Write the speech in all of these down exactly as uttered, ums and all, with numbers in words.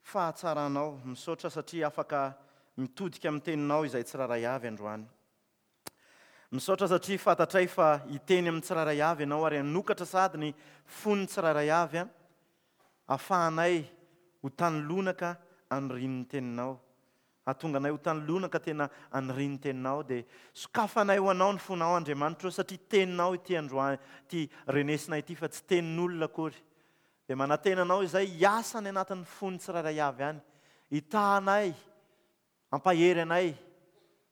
fahatsaranao. Misaotra satria afaka mitodika amin'ny teninao izay tsirairay avy androany. Misaotra satria fantatray fa hiteny amin'ny tsirairay avy ianao ary hanokatra sady ny fon'ny tsirairay avy a, ahafahanay ho tany lonaka anirian'ny teninao. Hahatonga anay ho tany lonaka tena anirian'ny teninao, dia sokafanay ho anao ny fonao Andriamanitra satria teninao ity androany ity renesina ity fa tsy tenin'olona akory. Dia manantena anao izay hiasa any anatin'ny fon'ny tsirairay avy any, hitahanay, hampahery anay,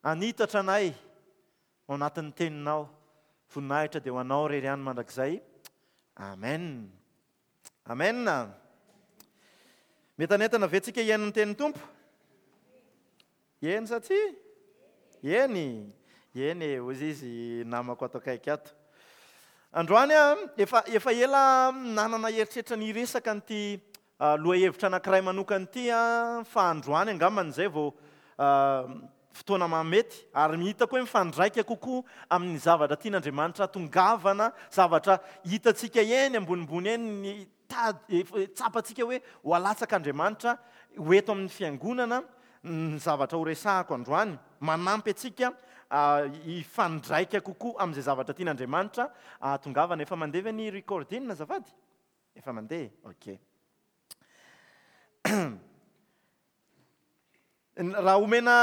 hanitatra anay ao anatin'ny teninao. Voninahitra dia ho anao irery ihany mandrakizay. Amen. Amen. Mientanentana ve tsika hihaino ny tenin'ny Tompo? Eny sa tsia? Eny. Eny e, hoy izy namako ato akaiky ato. Androany a, efa, efa ela nanana eritreritra ny hiresaka an'ity lohahevitra anankiray manokana ity a, fa androany angambany izay vao fotoana mahamety ary hitako hoe mifandraika kokoa amin'ny zavatra tian'Andriamanitra tongavana, zavatra hitantsika eny ambonimbony eny, ny tady, efa tsapantsika hoe ho alatsak'Andriamanitra ho eto amin'ny fiangonana ny zavatra ho resahako androany, manampy antsika hifandraika kokoa amin'izay zavatra tian'Andriamanitra ahatongavana. Efa mandeha ve ny recording azafady? Efa mandeha, ok. Raha omena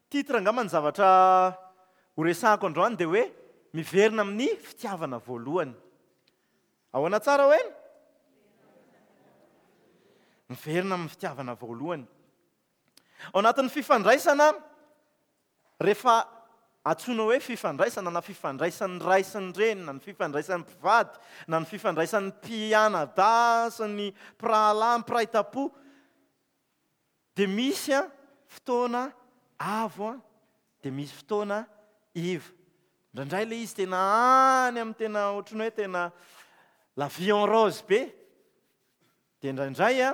titre angamba ny zavatra ho resahako androany dia hoe miverina amin'ny fitiavana voalohany. Ahoana tsara hoe? Miverina amin'ny fitiavana voalohany. Ao anatin'ny fifandraisana, rehefa antsoina hoe fifandraisana na fifandraisan'ny ray sy ny reny, na ny fifandraisan'ny mpivady, na ny fifandraisan'ny mpianadahy sy ny mpirahalahy, mpiray tampo, dia misy a fotoana avo a, dia misy fotoana iva. Indraindray ilay izy tena any amin'ny tena ohatran'ny hoe tena la vie en rose be, dia indraindray a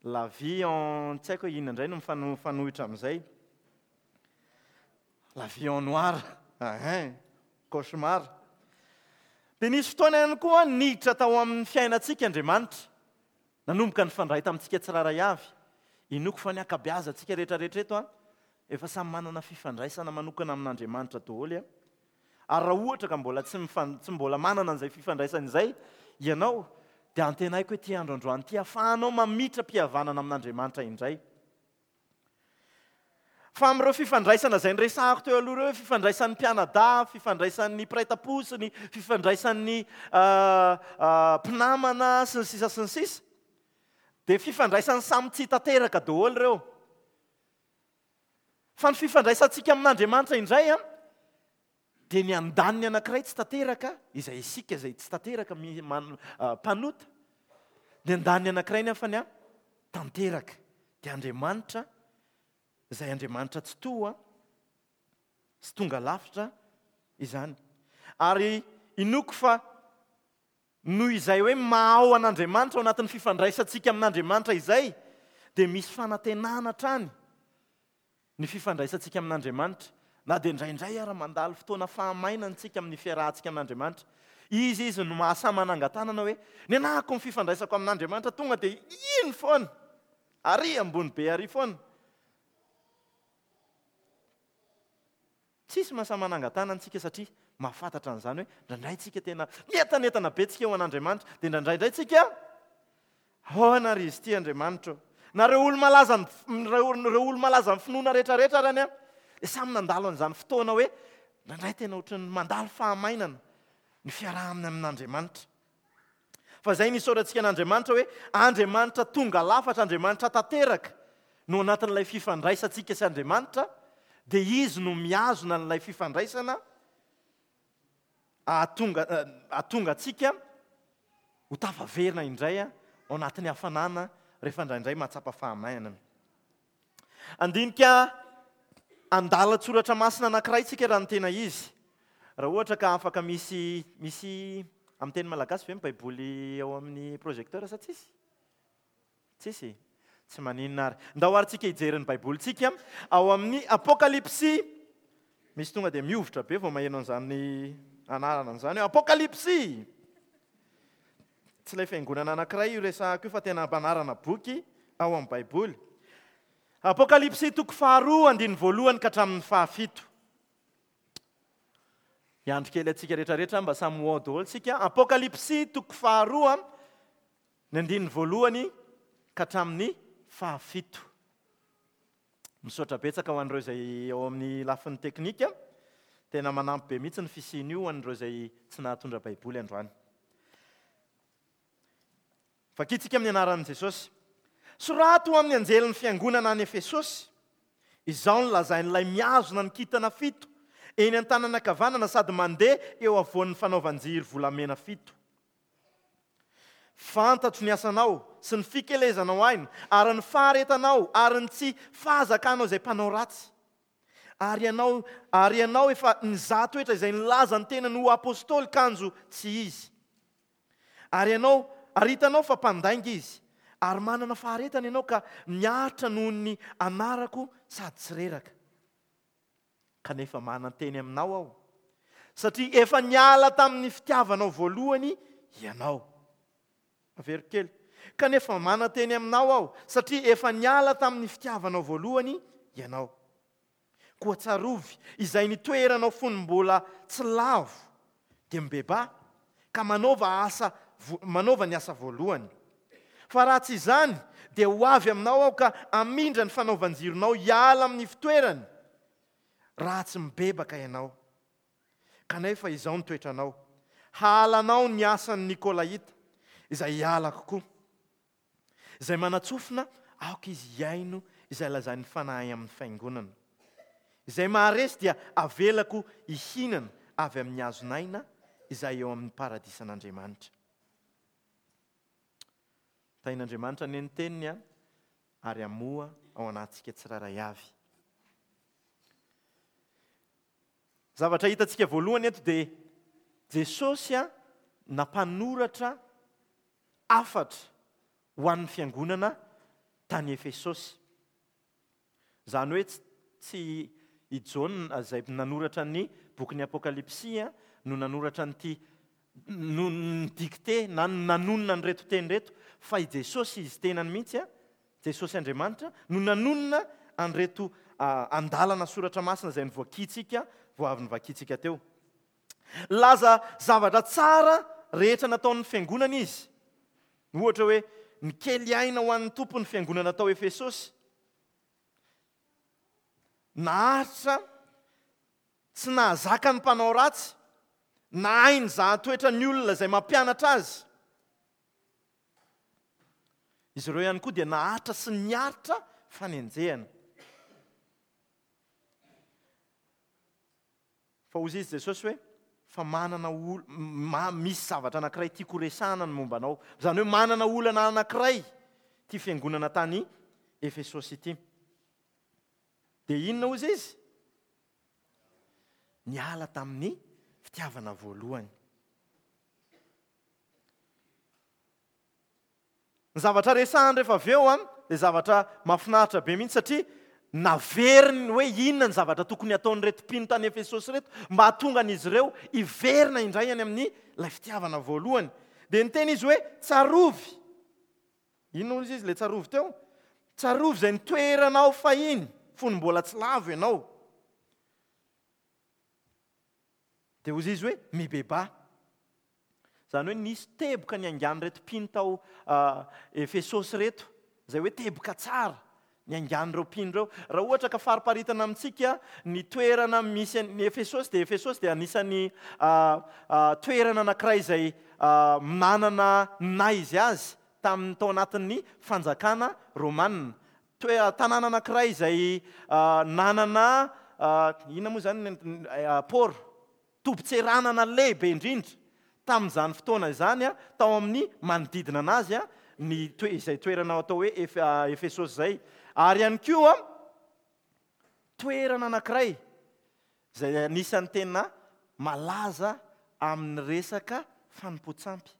la vie en tsy haiko hoe inona indray no mifano-, mifanohitra amin'izay. La vie en noir, hein, cauchemar. Dia nisy fotoana ihany koa niditra tao amin'ny fiainantsika Andriamanitra. Nanomboka nifandray tamintsika tsirairay avy. Inoako fa ny ankabeazantsika rehetrarehetra eto a, efa samy manana fifandraisana manokana amin'Andriamanitra daholo a. Ary raha ohatra ka mbola tsy mifan-, tsy mbola manana an'izay fifandraisana izay ianao, dia antenaiko hoe ity andro androany ity ahafahanao mamitra mpihavanana amin'Andriamanitra indray. Fa amin'ireo fifandraisana izay niresahako teo aloha ireo, fifandraisan'ny mpianadahy, fifandraisan'ny mpiray tampo sy ny fifandraisan'ny mpinamana sy ny sisa sy ny sisa, dia fifandraisan'ny samy tsy tanteraka daholo ireo. Fa ny fifandraisantsika amin'Andriamanitra indray a, dia ny andaniny anankiray tsy tanteraka, izay isika izay tsy tanteraka mi-, man-, mpanota, ny andaniny anankiray nefa ny a, tanteraka, dia Andriamanitra, izay Andriamanitra tsy toa sy tonga lavitra izany. Ary inoako fa noho izay hoe mahao an'Andriamanitra ao anatin'ny fifandraisantsika amin'Andriamanitra izay, dia misy fanantenana hatrany ny fifandraisantsika amin'Andriamanitra. Na dia indraindray ara mandalo fotoana fahamainana isika amin'ny fiarahantsika amin'Andriamanitra. Izy izy no mahasahy manangan-tanana hoe ny anahako ny fifandraisako amin'Andriamanitra tonga dia iny foana, ary ambony be ary foana. Tsisy mahasahy manangan-tanana isika satria mahafantatra an'izany hoe indraindray isika tena mientanentana be tsika ho an'Andriamanitra, dia indraindray indray tsika ahoana ary izy ity Andriamanitra ô? Na ireo olo-malaza ny f-, ireo, ireo olo-malaza ny finoana rehetrarehetra ary any a, dia samy nandalo an'izany fotoana hoe indraindray tena ohatran'ny mandalo fahamainana ny fiarahana amin'Andriamanitra. Fa izay nisaorantsika an'Andriamanitra hoe Andriamanitra tonga lafatra, Andriamanitra tanteraka no anatin'ilay fifandraisantsika sy Andriamanitra, dia izy no mihazona an'ilay fifandraisana ahatonga, ahatonga antsika ho tafaverina indray ao anatin'ny hafanana rehefa indraindray mahatsapa fahamainana. Andinika andalan-tsoratra masina anankiray tsika raha ny tena izy. Raha ohatra ka afaka misy, misy amin'ny teny malagasy ve ny Baiboly ao amin'ny projecteur sa tsisy? Tsisy? Tsy maninona ary. Ndao ary tsika hijery ny Baibolintsika ao amin'ny Apokalypsy. Misy tonga dia mihovitra be vao maheno an'izany anarana an'izany hoe Apokalypsy. Tsy ilay fiangonana anankiray io resahako io fa tena ampanarana boky ao amin'ny Baiboly. Apokalypsy toko faharoa andininy voalohany ka hatramin'ny fahafito. Hiandry kely antsika rehetrarehetra mba samy ho ao daholo tsika. Apokalypsy toko faharoa ny andininy voalohany ka hatramin'ny fahafito. Misaotra betsaka ho an'ireo izay ao amin'ny lafiny teknika. Tena manampy be mihitsy ny fisian'io ho an'ireo izay tsy nahatondra Baiboly androany. Vakitsika amin'ny anaran'i Jesosy. Sorato amin'ny anjelin'ny fiangonana any Efesosy. Izao no lazain'ilay mihazona ny kintana fito eny an-tanana ankavanana sady mandeha eo afovoan'ny fanaovan-jiro volamena fito. Fantatro ny asanao sy ny fikelezanao aina ary ny faharetanao ary ny tsy fahazakanao izay mpanao ratsy. Ary ianao, ary ianao efa nizaha toetra izay nilaza ny tenany ho apôstôly kanjo tsy izy. Ary ianao, ary hitanao fa mpandainga izy, ary manana faharetana ianao ka miaritra noho ny anarako sady tsy reraka. Kanefa manan-teny aminao aho, satria efa niala tamin'ny fitiavanao voalohany ianao. Averiko kely. Kanefa manan-teny aminao aho, satria efa niala tamin'ny fitiavanao voalohany ianao. Koa tsarovy izay nitoeranao fony mbola tsy lavo, dia mibebaha ka manaova asa manaova ny asa voalohany. Fa raha tsy izany, dia ho avy aminao aho ka hamindra ny fanaovan-jironao hiala amin'ny fitoerany, raha tsy mibebaka ianao. Kanefa izao ny toetranao, hahalanao ny asan'ny Nikolaita, izay hialako koa. Izay manatsofina, aoka izy hihaino izay lazain'ny Fanahy amin'ny fiangonana. Izay maharesy dia avelako hihinana avy amin'ny hazon'aina izay eo amin'ny paradisan'Andriamanitra. Tahin'Andriamanitra anie ny teniny a, ary hamoha ao anatintsika tsirairay avy. Zavatra hitantsika voalohany eto dia Jesosy a nampanoratra hafatra ho an'ny fiangonana tany Efesosy. Izany hoe tsy i Jaona izay nanoratra ny bokin'ny Apokalypsy a no nanoratra an'ity, no nidicté na nanonona an'ireto teny ireto, fa i Jesosy izy tenany mihitsy a, Jesosy Andriamanitra no nanonona an'ireto andalana soratra masina izay novakintsika, vao avy novakintsika teo. Laza zavatra tsara rehetra nataon'ny fiangonana izy. Ohatra hoe nikely aina ho an'ny Tompo ny fiangonana tao Efesosy. Naharitra tsy nahazaka ny mpanao ratsy, nahay nizaha toetra ny olona izay mampianatra azy. Izy ireo ihany koa dia naharitra sy niaritra fanenjehana. Fa hoy izy Jesosy hoe fa manana ol-, ma-, misy zavatra anankiray tiako horesahana ny momba anao. Izany hoe manana olana anankiray ity fiangonana tany Efesosy ity. Dia inona hoy izy? Niala tamin'ny fitiavana voalohany. Ny zavatra resahany rehefa avy eo an, dia zavatra mahafinaritra be mihitsy satria naveriny hoe inona ny zavatra tokony hataon'ireto mpino tany Efesosy ireto mba hahatonga an'izy ireo hiverina indray any amin'ny ilay fitiavana voalohany. Dia niteny izy hoe tsarovy. Inona hoy izy ilay tsarovy teo? Tsarovy izay nitoeranao fahiny fony mbola tsy lavo ianao. Dia hoy izy hoe mibebaha. Izany hoe nisy teboka niaingan'ireto mpino tao Efesosy ireto, izay hoe teboka tsara niaingan'ireo mpino ireo. Raha ohatra ka fariparitana amintsika ny toerana misy ny Efesosy, dia Efesosy dia anisan'ny toerana anankiray izay manana ny izy azy tamin'ny tao anatin'ny fanjakana romanina. Toe-, tanàna anankiray izay nanana, inona moa izany, port, tobin-tseranana lehibe indrindra tamin'izany fotoana izany, tao amin'ny manodidina anazy, ny toe-, izay toerana atao hoe Efe-, Efesosy izay. Ary ihany koa toerana anankiray izay anisan'ny tena malaza amin'ny resaka fanompoan-tsampy.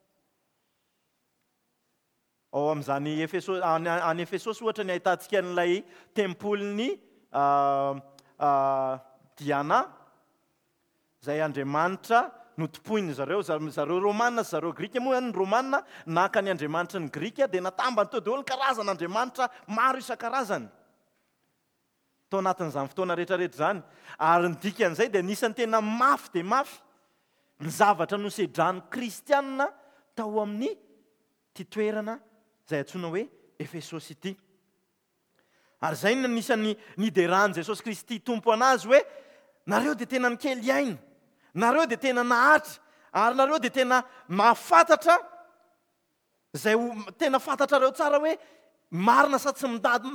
Ao amin'izany Efeso-, any, any Efesosy ohatra ny ahitantsika an'ilay tempolin'ny, ah, ah, Diana, izay andriamanitra notompoiny zareo, zareo Romana sy zareo Grika. Moa ny Romana naka ny andriamanitry ny Grika dia natambany teo daholo ny karazana andriamanitra maro isan-karazany tao anatin'izany fotoana rehetrarehetra izany. Ary ny dikan'izay dia anisan'ny tena mafy dia mafy ny zavatra nosedran'ny kristianina tao amin'ny ity toerana izay antsoina hoe Efesosy ity. Ary izay no anisan'ny nideran'i Jesosy Kristy Tompo anazy hoe nareo dia tena nikely aina, nareo dia tena naharitra, ary nareo dia tena mahafantatra izay tena fantatrareo tsara hoe marina sa tsy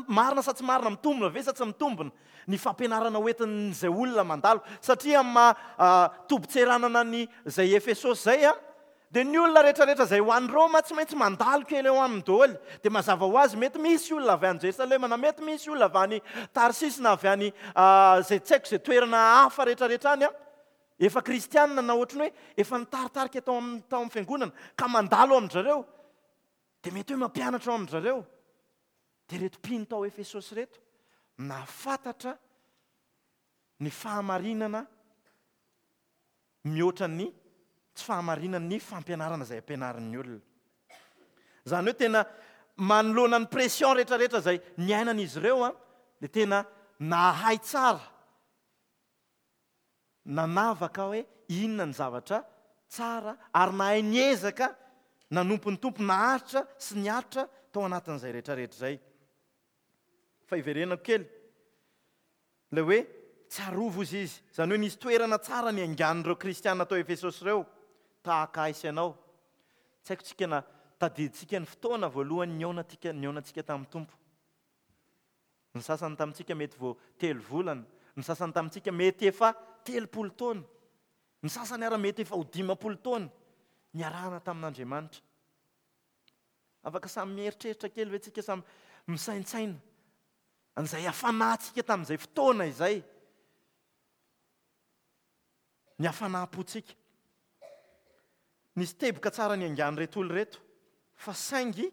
marina sa tsy marina, mitombina ve sa tsy mitombina ny fampianarana hoentin'izay olona mandalo. Satria amin'ny maha tobin-tseranana ny izay Efesosy izay a, dia ny olona rehetrarehetra izay ho any Roma tsy maintsy mandalo kely eo aminy daholo. Dia mazava ho azy mety misy olona avy any Jerosalema, na mety misy olona avy any Tarsisy, na avy any izay tsy haiko izay toerana hafa rehetrarehetra any a, efa kristianina na ohatrany hoe efa nitaritarika tao amin'ny tao amin'ny fiangonana ka mandalo amin-dry zareo, dia mety hoe mampianatra ao amin-dry zareo. Dia ireto mpino tao Efesosy ireto nahafantatra ny fahamarinana mihoatra ny tsy fahamarinan'ny fampianarana izay ampianarin'ny olona. Izany hoe tena manoloana ny pression rehetrarehetra izay niainan'izy ireo a, dia tena nahay tsara nanavaka hoe inona ny zavatra tsara, ary nahay niezaka nanompo ny Tompo naharitra sy niaritra tao anatin'izay rehetrarehetra izay. Fa iverenako kely ilay hoe tsarovo izy izy. Izany hoe nisy toerana tsara ny angan'ireo kristiana tao Efesosy ireo, tahaka ahy sy ianao. Tsy haiko tsika na tadidintsika ny fotoana voalohany nihaonantsika, nihaonantsika tamin'ny Tompo. Ny sasany tamintsika mety vao telo volana, ny sasany tamintsika mety efa telopolo taona, ny sasany ara mety efa ho dimampolo taona niarahana tamin'Andriamanitra. Afaka samy mieritreritra kely ve tsika, samy misaintsaina an'izay hafanantsika tamin'izay fotoana izay, ny hafanam-pontsika. Nisy teboka tsara ny angan'ireto olona ireto, fa saingy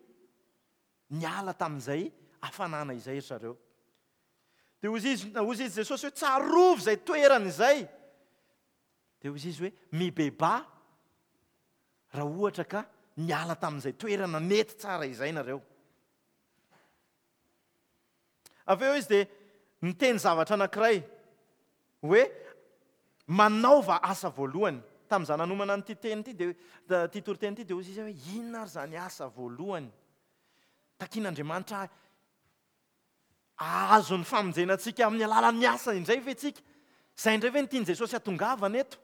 niala tamin'izay hafanana izay ry zareo. Dia hoy izy, hoy izy Jesosy hoe tsarovy izay toerana izay. Dia hoy izy hoe mibebaha raha ohatra ka niala tamin'izay toerana nety tsara izay nareo. Avy eo izy dia niteny zavatra anankiray hoe manaova asa voalohany. Tamin'izaho nanomana an'ity teny ity dia, ity toriteny ity dia hoy izy hoe inona ary izany asa voalohany takian'Andriamanitra ahazo ny famonjena antsika amin'ny alalan'ny asa indray ve tsika? Izay indray ve no tian'i Jesosy hatongavana eto?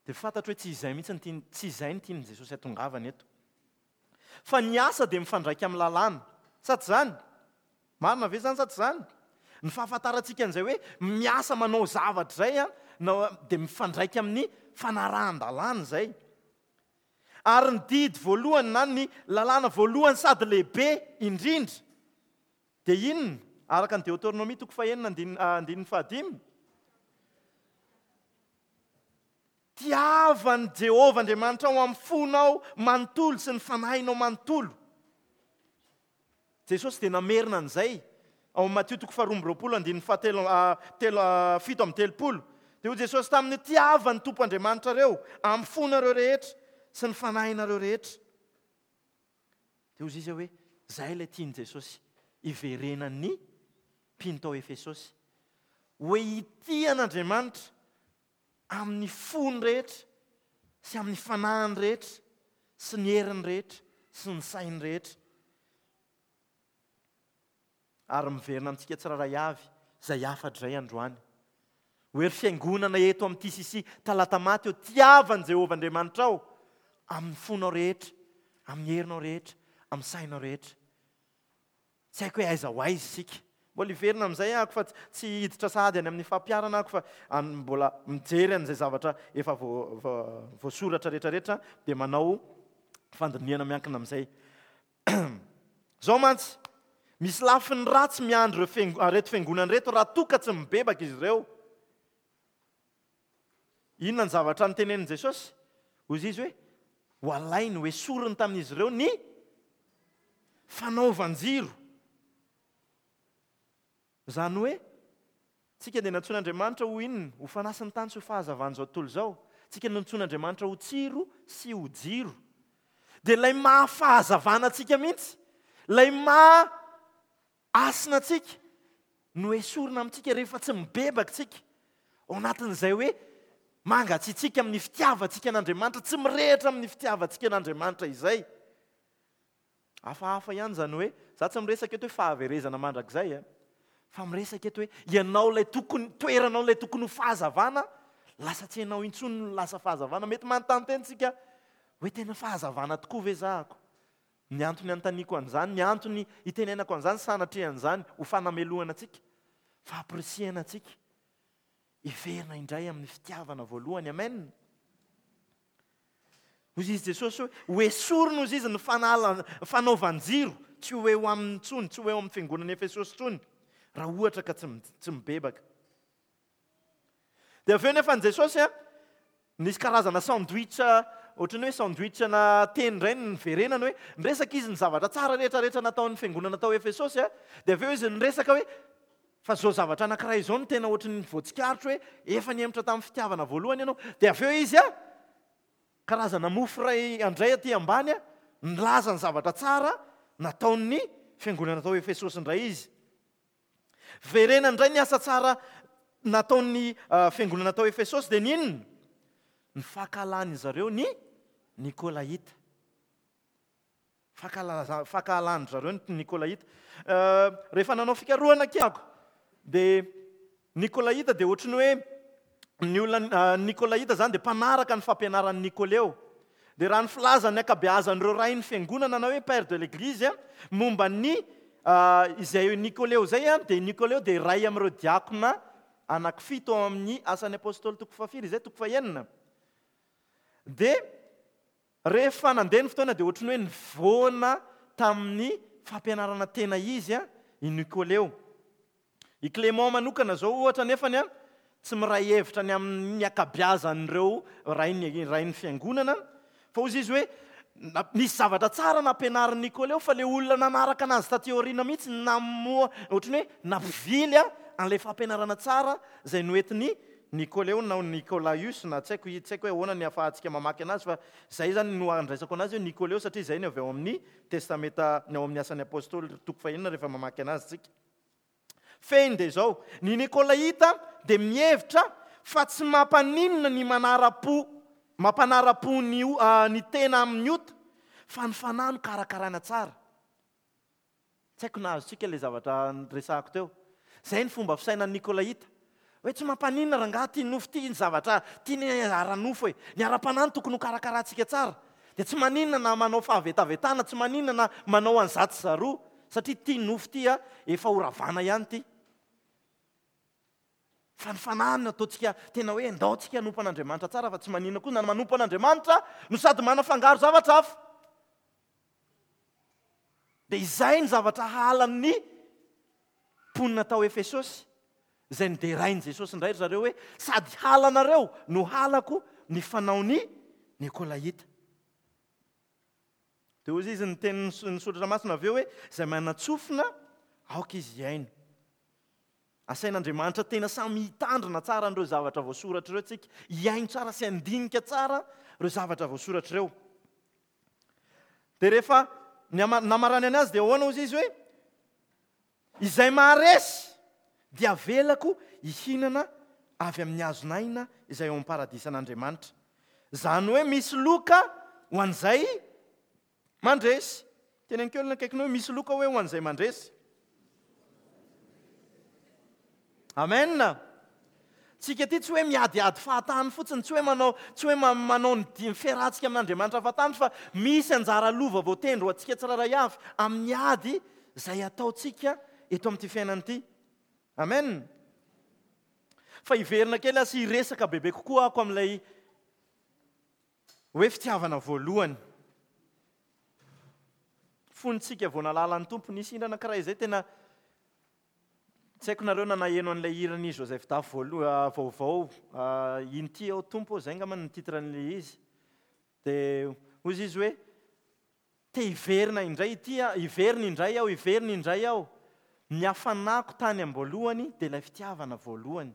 Dia fantatro hoe tsy izay mihitsy no tiany, tsy izay no tian'i Jesosy hatongavana eto. Fa ny asa dia mifandraika amin'ny lalàna. Sa tsy izany? Marina ve izany sa tsy izany? Ny fahafantarantsika an'izay hoe miasa manao zavatra izay a, na dia mifandraika amin'ny fanarahan-dalàna izay. Ary ny didy voalohany na ny lalàna voalohany sady lehibe indrindra dia inona? Araka ny Deoteronomia toko fahenina andininy fahadimy. Tiavan'i Jehovah Andriamanitra ao amin'ny fonao manontolo sy ny fanahinao manontolo. Jesosy dia namerina an'izay ao amin'ny Matio toko faharoa amby roapolo andininy fahatelo, telo, fito amby telopolo. Dia hoy Jesosy taminy, tiavan'ny Tompo Andriamanitrareo amin'ny fonareo rehetra sy ny fanahinareo rehetra. Dia hoy izy hoe izay ilay tian'i Jesosy hiverenan'ny mpino tao Efesosy. Hoe hitia an'Andriamanitra amin'ny fony rehetra sy amin'ny fanahiny rehetra sy ny heriny rehetra sy ny sainy rehetra. Ary miverina amintsika tsirairay avy izay hafatra izay androany. Hoe ry fiangonana eto amin'ny T C C Talatamaty eo, tiavan'i Jehovah Andriamanitrao amin'ny fonao rehetra, amin'ny herinao rehetra, amin'ny sainao rehetra. Tsy haiko hoe aiza ho aiza isika. Mbola hiverina amin'izay aho fa tsy hiditra sahady any amin'ny fampiharana aho fa mbola mijery an'izay zavatra efa voasoratra rehetrarehetra dia manao fandinihana miankina amin'izay. Izao mantsy, misy lafiny ratsy miandry ireto fiangonana ireto raha toa ka tsy mibebaka izy ireo. Inona ny zavatra notenenin'i Jesosy? Hoy izy hoe ho alainy, ho esoriny tamin'izy ireo ny fanaovan-jiro. Izany hoe Tsika dia nantsoin'Andriamanitra ho inona? Ho fanasin'ny tany sy ho fahazavan'izao tontolo izao. Tsika nantsoin'Andriamanitra ho tsiro sy ho jiro. Dia ilay mahafahazavana antsika mihitsy, ilay maha hasina antsika no esorina amintsika rehefa tsy mibebaka tsika. Ao anatin'izay hoe mangatsiatsiaka amin'ny fitiavantsika an'Andriamanitra, tsy mirehitra amin'ny fitiavantsika an'Andriamanitra izay. Hafahafa ihany izany hoe, za tsy miresaka eto hoe fahaverezana mandrakizay, eh? Fa miresaka eto hoe ianao ilay tokony, toeranao ilay tokony ho fahazavana, lasa tsy ianao intsony no lasa fahazavana. Mety manontany tena tsika hoe tena fahazavana tokoa ve zahako? Ny antony anontaniako an'izany, ny antony itenenako an'izany, sanatria an'izany ho fanamelohana antsika, fampirisihana antsika hiverina indray amin'ny fitiavana voalohany. Amen. Hoy izy Jesosy hoe ho esorina hoy izy ny fanala, fanaovan-jiro, tsy ho eo aminy intsony, tsy ho eo amin'ny fiangonana Efesosy intsony, raha ohatra ka tsy mi-, tsy mibebaka. Dia avy eo nefa ny Jesosy, a, nisy karazana sandwich, ohatran'ny hoe sandwich na teny indray ny niverenany hoe niresaka izy ny zavatra tsara rehetrarehetra nataon'ny fiangonana tao Efesosy, a, dia avy eo izy niresaka hoe fa zao zavatra anankiray izao no tena ohatran'ny voatsikaritra hoe efa nihemotra tamin'ny fitiavana voalohany ianao. Dia avy eo izy, a, karazana mofo iray andray aty ambany, a, nilaza ny zavatra tsara nataon'ny fiangonana tao Efesosy indray izy. Verena indray ny asa tsara nataon'ny, ah, fiangonana tao Efesosy dia n'inona? Ny fankahalan'ny zareo ny Nikolaita. Fankahala-, fankahalan-dry zareo ny Nikolaita. Eh, rehefa nanao fikarohana kely aho, dia Nikolaita dia ohatran'ny hoe ny olona, ah, Nikolaita zany dia mpanaraka ny fampianaran'ny Nikoleo. Dia raha ny filazan'ny ankabeazan'ireo rain'ny fiangonana na hoe père de l'église, a, momba ny, ah, izay Nikoleo izay, a, dia Nikoleo dia iray amin'ireo diakona anankifito ao amin'ny asan'ny apôstôly toko fahafiry izay, toko fahenina. Dia rehefa nandeha ny fotoana dia ohatran'ny hoe nivoana tamin'ny fampianarana tena izy, a, i Nikoleo. I Clément manokana zao ohatra nefany, a, tsy miray hevitra ny amin'ny ankabeazan'ireo rain'ny, rain'ny fiangonana, fa hoy izy hoe na-, nisy zavatra tsara nampianarin'i Nikoleo fa le olona nanaraka anazy taty aoriana mihitsy namoa, ohatran'ny hoe nampivily, a, an'ilay fampianarana tsara izay noentin'i Nikoleo na Nikolaios, na tsy haiko, tsy haiko hoe ahoana ny ahafahantsika mamaky anazy, fa izay zany no andraisako anazy hoe Nikoleo, satria izay no avy ao amin'ny Testamenta, ny ao amin'ny asan'ny apôstôly toko fahenina rehefa mamaky anazy tsika. Fehiny dia izao, ny Nikolaita dia mihevitra fa tsy mampaninona ny manara-po, mampanara-po ny o-, ah, ny tena amin'ny ota, fa ny fanahy no karakaraina tsara. Tsy haiko na azontsika ilay zavatra niresahako teo. Izay ny fomba fisainan'ny Nikolaita. Hoe tsy mampaninona rangahy ty nofo ty, ny zavatra tiany ara-nofo e. Ny ara-panahy no tokony ho karakaraintsika tsara. Dia tsy maninona na manao fahavetavetana, tsy maninona na manao an'izatsy zaroa, satria ty nofo ty, a, efa ho ravana ihany ty. Fa ny fanahy no ataontsika tena hoe ndao tsika hanompo an'Andriamanitra tsara, fa tsy maninona koa na manompo an'Andriamanitra no sady manafangaro zavatra hafa. Dia izay ny zavatra halan'ny mponina tao Efesosy, izay noderain'i Jesosy indray ry zareo hoe sady halanareo no halako ny fanaon'ny Nikolaita. Dia hoy izy ny tenin'ny s-, ny soratra masina avy eo hoe izay manan-tsofina aoka izy hihaino. Asain'Andriamanitra tena samy hitandrina tsara an'ireo zavatra voasoratra ireo tsika, hihaino tsara sy handinika tsara ireo zavatra voasoratra ireo. Dia rehefa ny ama-, namarany anazy dia ahoana hoy izy hoe izay maharesy dia avelako hihinana avy amin'ny hazon'aina izay ao amin'ny paradisan'Andriamanitra. Izany hoe misy loka ho an'izay mandresy. Teneniko eo ny akaikinao hoe misy loka hoe ho an'izay mandresy. Amen. Tsika ty tsy hoe miadiady fahatany fotsiny, tsy hoe manao, tsy hoe ma-, manao ny di-, fiarahantsika amin'Andriamanitra fahatany, fa misy anjara lova voatendry ho antsika tsirairay avy amin'ny ady izay ataontsika eto amin'ity fiainana ity. Amen. Fa hiverina kely aho sy hiresaka bebe kokoa ako amin'ilay hoe fitiavana voalohany. Fontsika vao nahalala ny Tompo, nisy hira anankiray izay tena tsy haiko nareo na naheno an'ilay hiran'i Joseph Dafy voaloha, vaovao, ah, Inty aho Tompo, izay angamba no titre an'ilay izy. Dia hoy izy hoe te hiverina indray ity aho, hiverina indray aho, hiverina indray aho. Ny hafanako tany am-boalohany dia ilay fitiavana voalohany.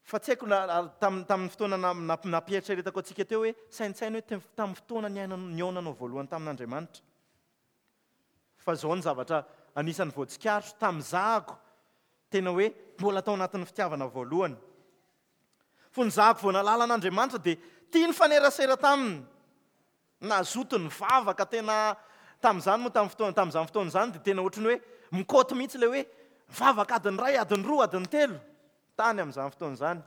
Fa tsy haiko na tamin'ny tamin'ny fotoana nampieritreretako antsika teo hoe saintsaino hoe tamin'ny fotoana nihaonanao voalohany tamin'Andriamanitra. Fa izao ny zavatra anisan'ny voatsikaritro tamin'izahako tena hoe mbola tao anatin'ny fitiavana voalohany. Fony zahako vao nahalala an'Andriamanitra dia tia nifanerasera taminy. Nazoto nivavaka tena tamin'izany moa tamin'ny fotoana tamin'izany fotoana izany dia tena ohatran'ny hoe mikoty mihitsy ilay hoe mivavaka adiny iray, adiny roa, adiny telo tany amin'izany fotoana izany.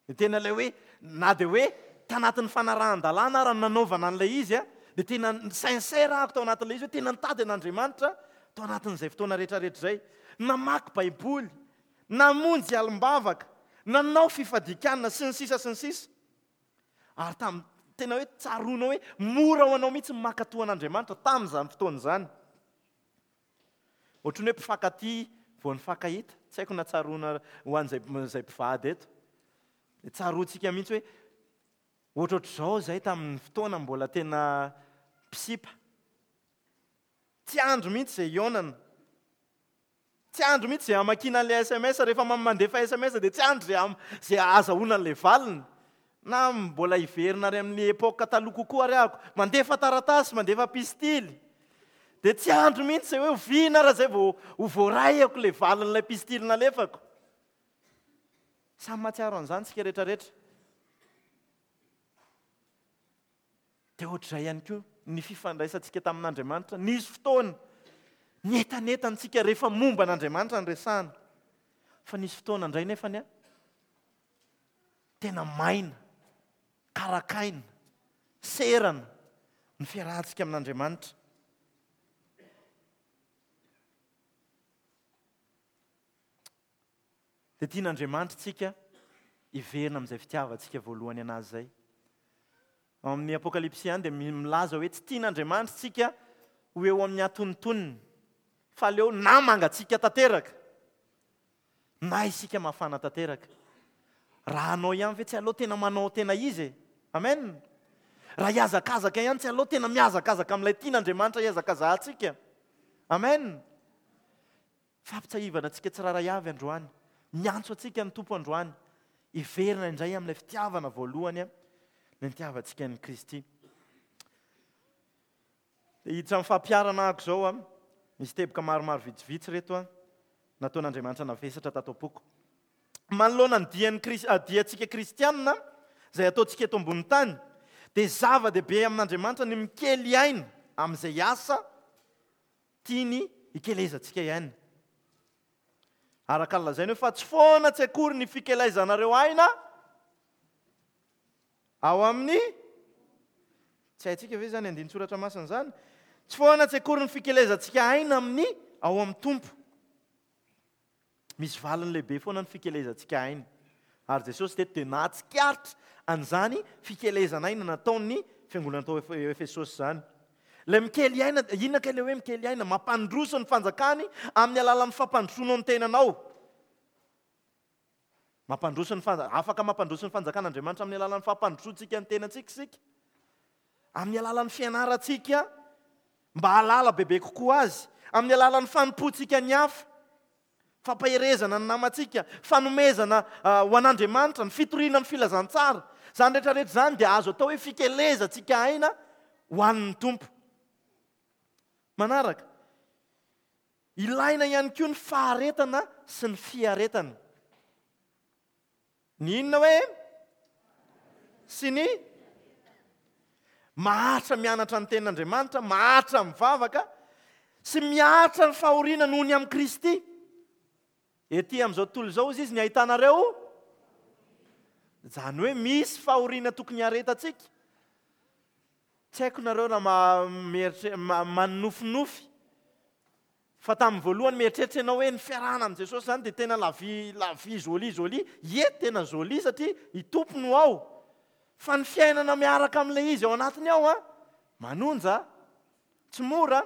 Dia tena ilay hoe na dia hoe tanatin'ny fanarahan-dalàna ary nanaovana an'ilay izy dia tena sincère aho tao anatin'ilay izy hoe tena nitady an'Andriamanitra tao anatin'izay fotoana rehetrarehetra izay. Namaky Baiboly, namonjy alim-bavaka, nanao fifadikanana sy ny sisa sy ny sisa. Ary tam tena hoe tsaroanao hoe mora ho anao mihitsy ny mankatò an'Andriamanitra tamin'izany fotoana izany. Ohatran'ny hoe mpifankatia vao nifankahita, tsy haiko na tsaroana ho an'izay izay mpivady eto. Dia tsaroantsika mihitsy hoe ohatrohatr'izao izay tamin'ny fotoana mbola tena mpisipa. Tsy andro mihitsy izay hihaonana. Tsy andro mihitsy izay hamakiana an'ilay S M S, rehefa mandefa S M S dia tsy andro izay am-, izay ahazahoana an'ilay valiny. Na mbola hiverina ary amin'ny époque taloha kokoa ary ahako, mandefa taratasy, mandefa pistily. Dia tsy andro mihitsy izay hoe oviana raha izay vao ho voarayako ilay valin'ilay pistily nalefako. Samy mahatsiaro an'izany tsika rehetrarehetra. Dia ohatr'izay ihany koa ny fifandraisantsika tamin'Andriamanitra. Nisy fotoana nietanentantsika rehefa momba an'Andriamanitra ny resahana. Fa nisy fotoana indray nefany a, tena maina, karakaina, serana ny fiarahantsika amin'Andriamanitra. Dia tian'Andriamanitra tsika hiverina amin'izay fitiavantsika voalohany anazy izay. Ao amin'ny Apokalypsy ihany dia milaza hoe tsy tian'Andriamanitra tsika ho eo amin'ny atonontonony, fa aleo na mangatsiaka tanteraka na isika mafana tanteraka. Raha hanao ihany ve tsy aleo tena manao tena izy e? Amen. Raha hihazakazaka ihany tsy aleo tena mihazakazaka amin'ilay tian'Andriamanitra hihazakazahantsika. Amen. Fampitsahivana antsika tsirairay avy androany. Miantso antsika ny Tompo androany. Hiverina indray amin'ilay fitiavana voalohany ny nitiavantsika an'i Kristy. Dia hiditra amin'ny fampiharana ahako izao a. Misy teboka maromaro vitsivitsy reto a, nataon'Andriamanitra navesatra tato am-poko. Manoloana ny dian'ny Kris-, ah, diantsika kristianina izay ataontsika eto ambony tany, dia zava-dehibe amin'Andriamanitra ny mikely aina amin'izay asa tiany hikelezantsika aina. Araka ny lazainy hoe fa tsy foana tsy akory ny fikelaizanareo aina ao amin'ny, tsy haintsika ve izany andinin-tsoratra masina izany? Tsy foana tsy akory ny fikelezantsika aina amin'ny ao amin'ny Tompo. Misy valiny lehibe foana ny fikelezantsika aina. Ary Jesosy teto dia nahatsikaritra an'izany fikelezana aina nataon'ny fiangonana tao Efesosy izany. Ilay mikely aina, inona kay ilay hoe mikely aina? Mampandroso ny fanjakany amin'ny alalan'ny fampandrosoanao ny tenanao. Mampandroso ny fanja-, afaka mampandroso ny fanjakan'Andriamanitra amin'ny alalan'ny fampandrosoantsika ny tenantsika isika. Amin'ny alalan'ny fianarantsika mba hahalala bebe kokoa azy, amin'ny alalan'ny fanompoantsika ny hafa, fampaherezana ny namantsika, fanomezana, ah, ho an'Andriamanitra, ny fitoriana ny filazantsara. Izany rehetrarehetra izany dia azo atao hoe fikelezantsika aina ho an'ny Tompo. Manaraka, ilaina ihany koa ny faharetana sy ny fiaretana. Ny inona hoe? Sy ny maharitra mianatra ny tenin'Andriamanitra, maharitra mivavaka sy miaritra ny fahoriana noho ny amin'i Kristy. Ety amin'izao tontolo izao izy ny ahitanareo. Izany hoe misy fahoriana tokony hiaretantsika. Tsy haiko nareo raha ma-, mieritre-, ma-, manofinofy. Fa tamin'ny voalohany mieritreritra ianao hoe ny fiarahana amin'i Jesosy izany dia tena la vie, la vie jolie, jolie. Ie, tena jolie satria i Tompo no ao. Fa ny fiainana miaraka amin'ilay izy ao anatiny ao, a, manonja, tsy mora.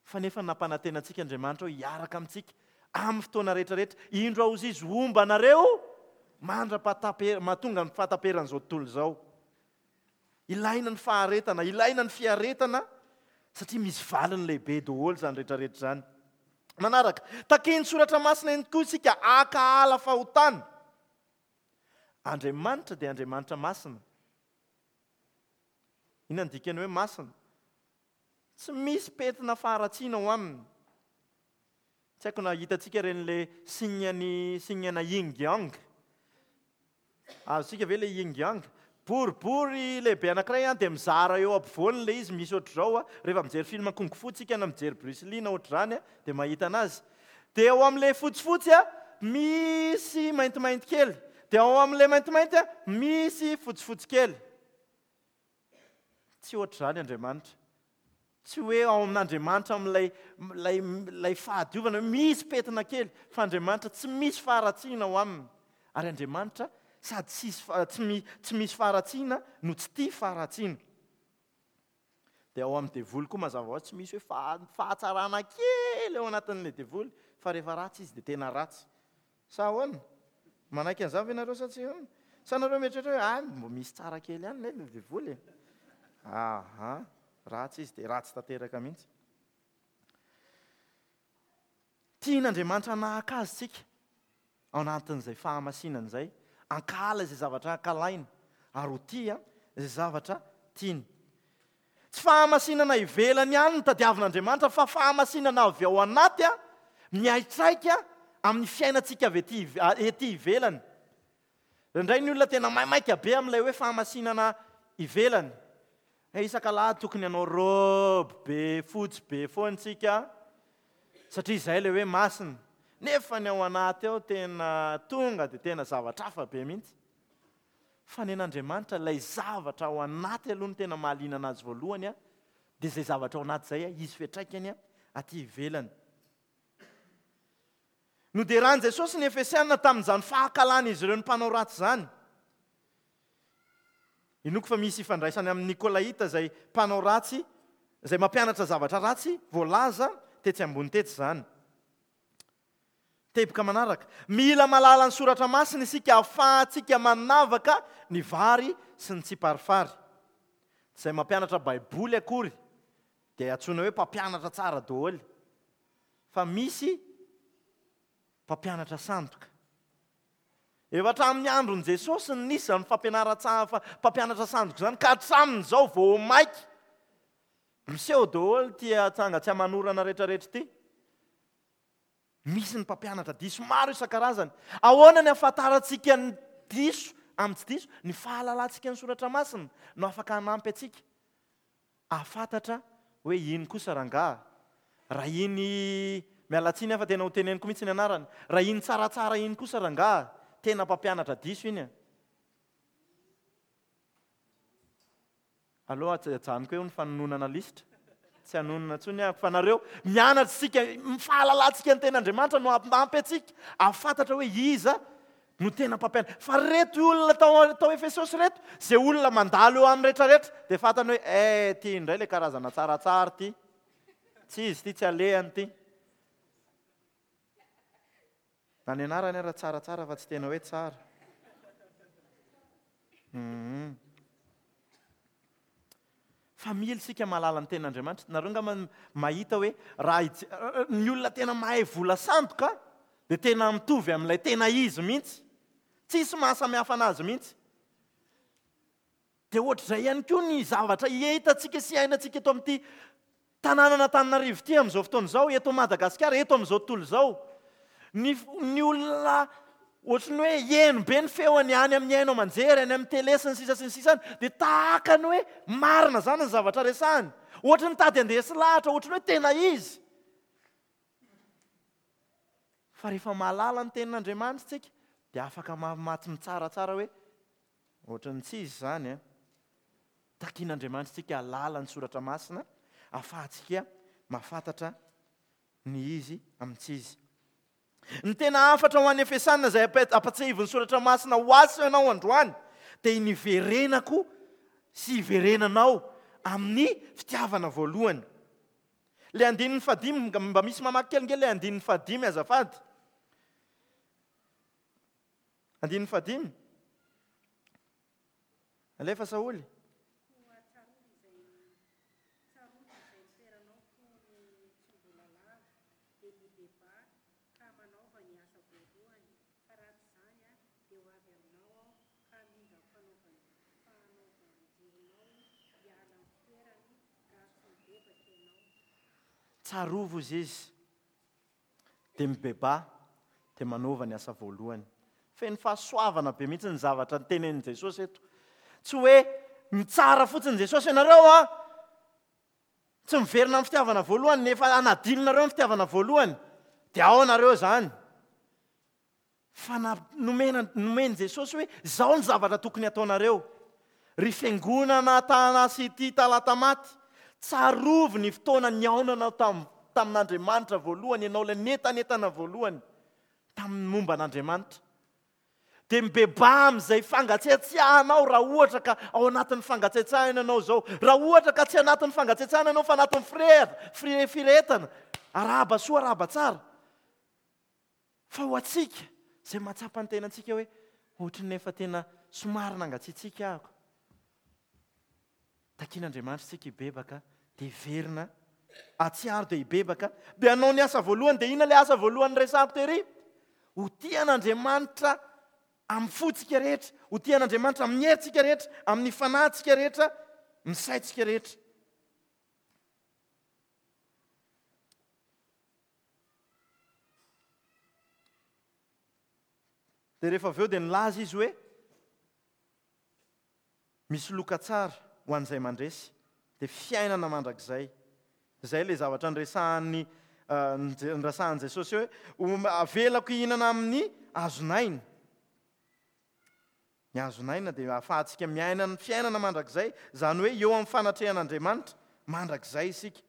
Fa nefa nampanantena antsika Andriamanitra hoe hiaraka amintsika amin'ny fotoana rehetrarehetra. Indro aho izy homba anareo mandra-pahataper-, mahatonga ny fahataperan'izao tontolo izao. Ilaina ny faharetana, ilaina ny fiaretana Satria misy valiny lehibe daholo izany rehetrarehetra izany. Manaraka, takian'ny soratra masina ihany koa isika hankahala fahotana. Andriamanitra dia Andriamanitra masina. Inona ny dikany hoe masina? Tsy misy pentina faharatsiana ao aminy. Tsy haiko na hitantsika ireny le signe-ny, signe-na yin yang. Azontsika ve le yin yang? Boribory lehibe anankiray an, dia mizara eo ampovoany ilay izy, misy ohatr'izao an. Rehefa mijery film kung fu tsika na mijery Bruce Lee na ohatr'izany an, dia mahita anazy. Dia ao amin'ilay fotsifotsy an, misy maintimainty kely. Dia ao amin'ilay maintimainty an, misy fotsifotsy kely. Tsy ohatr'izany Andriamanitra. Tsy hoe ao amin'Andriamanitra amin'ilay, ilay, ilay fahadiovana hoe misy pentina kely, fa Andriamanitra tsy misy faharatsiana ao aminy. Ary Andriamanitra sady tsisy fa-, tsy mi-, tsy misy faharatsiana no tsy tia faharatsiana. Dia ao amin'ny devoly koa mazava ho azy tsy misy hoe faha-, fahatsarana kely ao anatin'ilay devoly, fa rehefa ratsy izy dia tena ratsy. Sa ahoana? Manaiky an'izany ve nareo sa tsy ahoana? Sa nareo mieritreritra hoe, ah, mbo misy tsara kely ihany ilay devoly e? Aha, ratsy izy dia ratsy tanteraka mihitsy. Tian'Andriamanitra hanahaka azy tsika ao anatin'izay fahamasinana izay, hankahala izay zavatra ankalainy ary ho tia izay zavatra tiany. Tsy fahamasinana ivelany ihany no tadiavin'Andriamanitra, fa fahamasinana avy ao anaty a, miaitraika amin'ny fiainantsika avy ety ive-, a, ety ivelany. Indraindray ny olona tena maimaika be amin'ilay hoe fahamasinana ivelany. Eh, isaka lahy tokony hanao robe be fotsy be foana tsika, satria izay ilay hoe masina. Nefa ny ao anaty ao tena tonga dia tena zavatra hafa be mihitsy. Fa ny an'Andriamanitra ilay zavatra ao anaty aloha no tena mahaliana anazy voalohany a, dia izay zavatra ao anaty izay a, izy fiantraikany a, aty ivelany. Noderan'i Jesosy ny Efesiana tamin'izany fahakalan'izy ireo ny mpanao ratsy izany. Inoako fa misy ifandraisany amin'ny Nikolaita izay mpanao ratsy, izay mampianatra zavatra ratsy voalaza tetsy ambony tetsy izany. Teboka manaraka, mila mahalala ny soratra masina isika ahafahantsika manavaka ny vary sy ny tsiparifary. Izay mampianatra Baiboly akory dia antsoina hoe mpampianatra tsara daholo, fa misy mpampianatra sandoka. Efa hatramin'ny andron'i Jesosy no nisy izany fampianaran-tsa-, fa-, mpampianatra sandoka izany, ka hatramin'izao vao maika miseho daholo ity atsanga tsy aman'orana rehetrarehetra ity. Misy ny mpampianatra diso maro isan-karazany. Ahoana ny ahafantarantsika ny diso amin'ny tsy diso? Ny fahalalantsika ny soratra masina no afaka hanampy antsika hahafantatra hoe iny kosa rangaha. Raha iny, miala tsiny aho fa tena ho teneniko mihitsy ny anarany, raha iny tsaratsara iny kosa rangaha, tena mpampianatra diso iny e. Aloha ajanoko eo ny fanononana lisitra. Tsy hanonona intsony aho, fa nareo mianatra isika, ny fahalalantsika ny tenin'Andriamanitra no hampy antsika hahafantatra hoe iza no tena mpampianatra. Fa reto olona tao, tao Efesosy reto, izay olona mandalo eo amin'ny rehetrarehetra, dia fantany hoe, eh, ty indray ilay karazana tsaratsara ty. Tsy izy ty, tsy alehany ty. Na ny anarany ara tsaratsara fa tsy tena hoe tsara. Mhm. Fa mila isika mahalala ny tenin'Andriamanitra. Nareo angamba mahita hoe raha hije-, ny olona tena mahay vola sandoka dia tena mitovy amin'ilay tena izy mihitsy. Tsisy mahasamihafa anazy mihitsy. Dia ohatr'izay ihany koa ny zavatra hitantsika sy iainantsika eto amin'ity tanànan'Antananarivo ity amin'izao fotoana izao, eto Madagasikara, eto amin'izao tontolo izao. Ny f-, ny olona ohatry ny hoe heno be ny feony any amin'ny haino aman-jery, any amin'ny télé sy ny sisa sy ny sisa any, dia tahaka ny hoe marina izany ny zavatra resahany. Ohatry ny tady andeha sy lahatra, ohatry ny hoe tena izy. Fa rehefa mahalala ny tenin'Andriamanitra isika, dia afaka ma-, maty mitsaratsara hoe ohatry ny tsy izy izany, eh. Takian'Andriamanitra isika hahalala ny soratra masina, ahafahantsika mahafantatra ny izy amin'ny tsy izy. Ny tena hafatra ho an'ny Efesiana izay ampe-, ampatsiahivin'ny soratra masina ho ahy sy ianao androany, dia ny hiverenako sy hiverenanao amin'ny fitiavana voalohany. Ilay andininy fahadimy, mba, mba misy mamaky kely nge ilay andininy fahadimy azafady. Andininy fahadimy. Alefa Saoly. Koa tsarovy izay, tsarovy izay Tsarovy izy izy, dia mibebaha, dia manova ny asa voalohany. Feno fahasoavana be mihitsy ny zavatra notenenin'i Jesosy eto. Tsy hoe mitsara fotsiny Jesosy ianareo a, tsy miverina amin'ny fitiavana voalohany, nefa anadinonareo ny fitiavana voalohany, dia ao nareo izany. Fa nomena nomen'i Jesosy hoe izao ny zavatra tokony ataonareo. Ry fiangonana Tana City Talatamaty, tsarovy ny fotoana nihaonanao tam, tamin'Andriamanitra voalohany, ianao ilay netanetana voalohany tamin'ny momba an'Andriamanitra. Dia mibebaha amin'izay fangatsiatsiahanao raha ohatra ka ao anatin'ny fangatsiatsiahana ianao izao. Raha ohatra ka tsy anatin'ny fangatsiatsiahana ianao fa anatin'ny fire-, fire-, firehetana, arahaba soa, arahaba tsara. Fa ho antsika izay mahatsapa ny tenantsika hoe ohatry ny efa tena somary nangatsiatsiaka aho. Takian'Andriamanitra isika hibebaka, dia hiverina, atsiaro dia hibebaka, dia hanao ny asa voalohany. Dia inona ilay asa voalohany resahako tery? Ho tia an'Andriamanitra amin'ny fontsika rehetra, ho tia an'Andriamanitra amin'ny herintsika rehetra, amin'ny fanahintsika rehetra, ny saintsika rehetra. Dia rehefa avy eo dia nilaza izy hoe misy loka tsara ho an'izay mandresy, dia fiainana mandrakizay. Izay ilay zavatra niresahan'ny, niresahan'i Jesosy hoe avelako hihinana amin'ny hazon'aina. Ny hazon'aina dia ahafahantsika miaina ny fiainana mandrakizay, izany hoe eo amin'ny fanatrehan'Andriamanitra mandrakizay isika.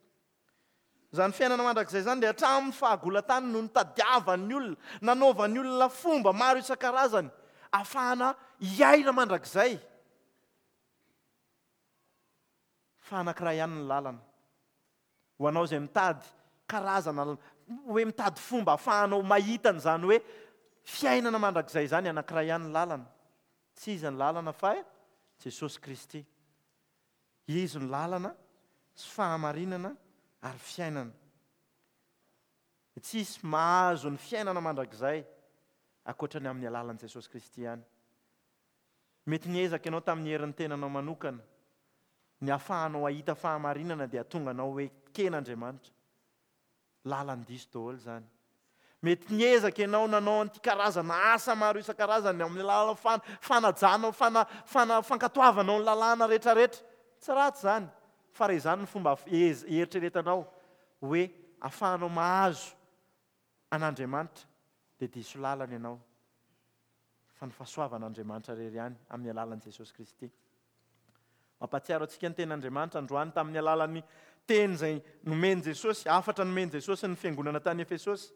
Izany fiainana mandrakizay izany dia hatramin'ny fahagolatany no nitadiavan'ny olona, nanaovan'ny olona fomba maro isan-karazany ahafahana hiaina mandrakizay. Fa anankiray ihany ny lalana. Ho anao izay mitady karazana, hoe mitady fomba ahafahanao mahita an'izany hoe fiainana mandrakizay izany, anankiray ihany ny lalana. Tsy iza ny lalana fa Jesosy Kristy. Izy ny lalana sy fahamarinana ary fiainana. Tsy hisy mahazo ny fiainana mandrakizay ankoatra ny amin'ny alalan'i Jesosy Kristy ihany. Mety niezaka ianao tamin'ny herin'ny tenanao manokana, ny ahafahanao hahita fahamarinana dia tonga anao hoe ken'Andriamanitra. Lalany diso daholo izany. Mety niezaka ianao nanao an'ity karazana asa maro isan-karazany amin'ny alalan'ny fan-, fanajanao, fana-, fana-, fankatoavanao ny lalàna rehetrarehetra. Tsy ratsy izany, fa raha izany ny fomba ez-, eritreretanao hoe ahafahanao mahazo an'Andriamanitra dia diso lalana ianao. Fa ny fahasoavan'Andriamanitra irery ihany amin'ny alalan'i Jesosy Kristy. Mampahatsiaro antsika ny tenin'Andriamanitra androany tamin'ny alalan'ny teny izay nomen'i Jesosy, hafatra nomen'i Jesosy ny fiangonana tany Efesosy.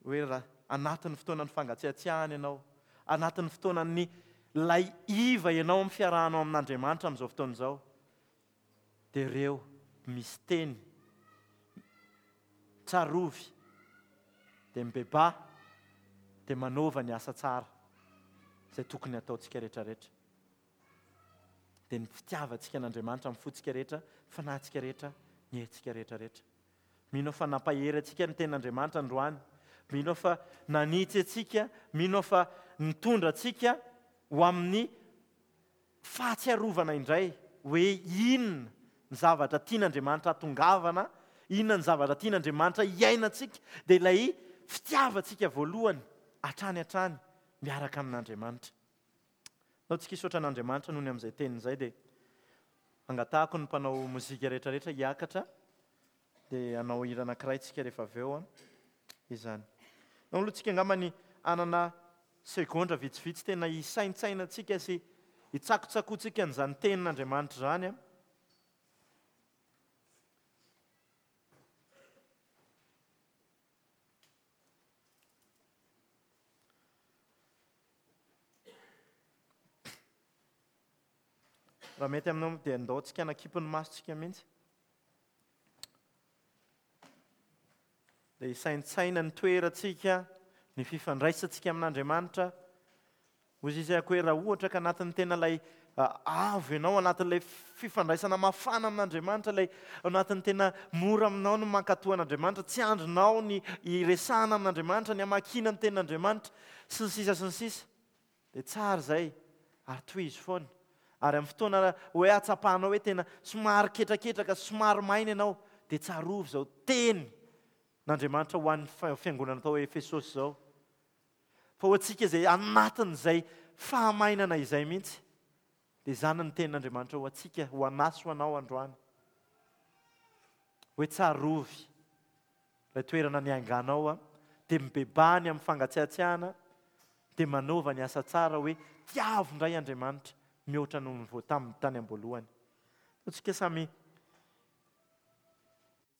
Hoe raha anatin'ny fotoanan'ny fangatsiatsiahana ianao, anatin'ny fotoanan'ny lay iva ianao amin'ny fiarahanao amin'Andriamanitra amin'izao fotoana izao, dia ireo misy teny tsarovy, dia mibebaha, dia manova ny asa tsara izay tokony hataontsika rehetrarehetra. Dia ny fitiavantsika an'Andriamanitra amin'ny fontsika rehetra, fanahintsika rehetra, ny herintsika rehetrarehetra. Mino aho fa nampahery antsika ny tenin'Andriamanitra androany. Mino aho fa nanitsy antsika, mino aho fa nitondra antsika ho amin'ny fahatsiarovana indray hoe inona ny zavatra tian'Andriamanitra hatongavana, inona ny zavatra tian'Andriamanitra hiainantsika, dia ilay fitiavantsika voalohany hatrany hatrany miaraka amin'Andriamanitra. Nao tsika hisaotra an'Andriamanitra noho ny amin'izay teniny izay, dia angatahako ny mpanao mozika rehetrarehetra hiakatra, dia hanao hira anankiray tsika rehefa avy eo izany. Nao aloha tsika angamba ny hanana segondra vitsivitsy tena hisaintsainantsika sy hitsakotsakotsika an'izany tenin'Andriamanitra izany. Raha mety aminao dia andao tsika hanakipy ny masontsika mihitsy. Dia hisaintsaina ny toerantsika, ny fifandraisantsika amin'Andriamanitra. Hoy izy ako hoe raha ohatra ka anatin'ny tena ilay, ah, avo ianao, anatin'ilay fifandraisana mafana amin'Andriamanitra, ilay anatin'ny tena mora aminao ny mankatò an'Andriamanitra, tsy andrinao ny hiresahana amin'Andriamanitra, ny hamakiana ny tenin'Andriamanitra, sy ny sisa sy ny sisa. Dia tsara izay, ary tohizo foana. Ary amin'ny fotoana hoe hatsapanao hoe tena somary ketraketraka, somary maina ianao, dia tsarovy izao teny n'Andriamanitra ho an'ny fiangonana tao Efesosy izao. Fa ho antsika izay anatin'izay fahamainana izay mihitsy, dia izany ny tenin'Andriamanitra ho antsika, ho anahy sy ho anao androany. Hoe tsarovy ilay toerana niainganao, dia mibebahany amin'ny fangatsiatsiahana, dia manova ny asa tsara hoe tiavo indray Andriamanitra mihoatra noho ny vao tamin'ny tany am-boalohany. Antsika samy